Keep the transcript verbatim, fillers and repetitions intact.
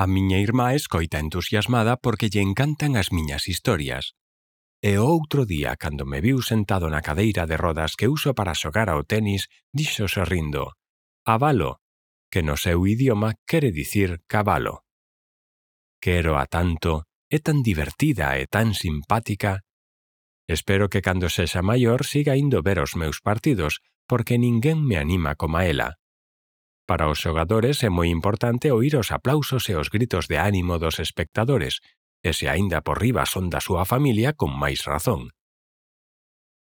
A miña irmá escoita entusiasmada porque lle encantan as miñas historias. E o outro día, cando me viu sentado na cadeira de rodas que uso para xogar ao tenis, díxose rindo: "Avalo", que no seu idioma quere dicir cabalo. Quero a tanto, é tan divertida e tan simpática. Espero que cando sexa maior siga indo ver os meus partidos, porque ninguén me anima como ela. Para os xogadores é moi importante oír os aplausos e os gritos de ánimo dos espectadores, e se aínda por riba son da súa familia, con máis razón.